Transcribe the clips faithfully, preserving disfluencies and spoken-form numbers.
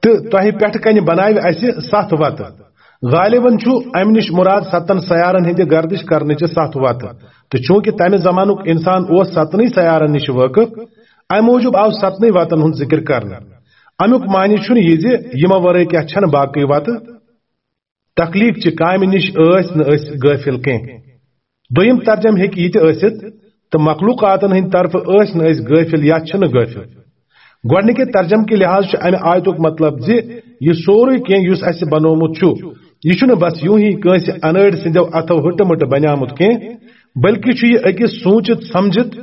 تہٕ تۄہہِ پٮ۪ٹھٕ کنہِ بناوِ اسہِ ستھ وتہٕ۔ غالباً چھُ امہِ نِش مراد ستن سیارن ہٕنٛدِ گردش کرنٕچہِ ستھ وتہٕ۔ تہٕ چوٗنٛکہِ تمہِ زمانُک انسان اوس ستنٕے سیارن نِش وٲقف، امہِ موٗجوٗب آو ستنٕے وتن ہُنٛد ذِکر کرنہٕ۔ امیُک معنی چھُنہٕ یہِ زِ یِمو ورٲے کیٛاہ چھنہٕ باقٕے وتہٕ۔ تخلیق چہِ کامہِ نِش ٲسۍ نہٕ أسۍ غٲفِل کینٛہہ۔ دوٚیِم ترجمہٕ ہیٚکہِ یہِ تہِ ٲسِتھ، تہٕ مخلوقاتن ہٕنٛدِ طرفہٕ ٲسۍ نہٕ أسۍ غٲفِل یا چھِنہٕ غٲفِل۔ گۄڈٕنِکہِ ترجمہٕ کہِ لحاظ چھُ امہِ آیتُک مطلب زِ یہِ سورُے کینٛہہ یُس اسہِ بنوومُت چھُ، یہِ چھُنہٕ بس یوٗں ہی کٲنٛسہِ انٲڑۍ سٕنٛدیو اتھو ہٕٹہٕ مٕٹہٕ بنیومُت کینٛہہ، بلکہِ چھُ یہِ أکِس سوٗنچِتھ سمجھِتھ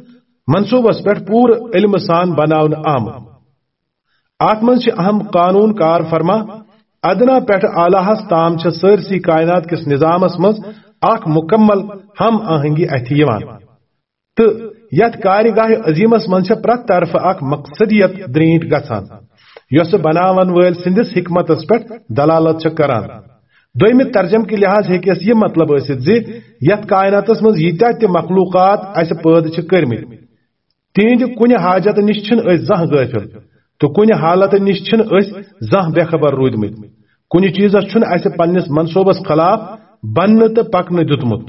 منصوٗبس پٮ۪ٹھ پوٗرٕ علمہٕ سان بناونہٕ آمُت۔ اتھ منٛز چھِ اہم قانون کار فرما۔ ادنا پٮ۪ٹھ اعلیٰ ہس تام چھِ سٲرسی کائنات کِس نظامس منٛز اکھ مکمل ہم آہنگی اتھِ یِوان۔ تہٕ یتھ کارگاہ عظیمس منٛز چھِ پرٛٮ۪تھ طرفہٕ اکھ مقصدیت درینٹ گژھان، یۄسہٕ بناون وٲلۍ سٕنٛدِس حکمتس پٮ۪ٹھ دلالت چھِ کران۔ دوٚیمہِ ترجمہٕ کہِ لحاظ ہیٚکہِ اَسہِ یہِ مطلب ٲسِتھ زِ یتھ کائناتس منٛز ییٖتیٛاہ تہِ مخلوقات اَسہِ پٲدٕ چھِ کٔرمٕتۍ، تِہنٛدِ کُنہِ حاجت نِش چھِنہٕ أسۍ زانٛہہ غٲفِل، تہٕ کُنہِ حالت نِش چھِنہٕ أسۍ زانٛہہ بے خبر روٗدمٕتۍ۔ کُنہِ چیٖزس چھُنہٕ اَسہِ پننِس منصوٗبس خلاف بننہٕ تہٕ پکنہٕ دیُتمُت۔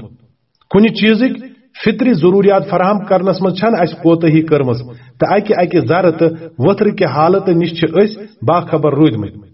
کُنہِ چیٖزٕکۍ فطری ضروٗریات فراہم کرنس منٛز چھَنہٕ اَسہِ کوتٲہی کٔرمٕژ، تہٕ اکہِ اکہِ ذرٕ تہٕ ؤتھرٕ کہِ حالتہٕ نِش چھِ أسۍ باخبر روٗدمٕتۍ۔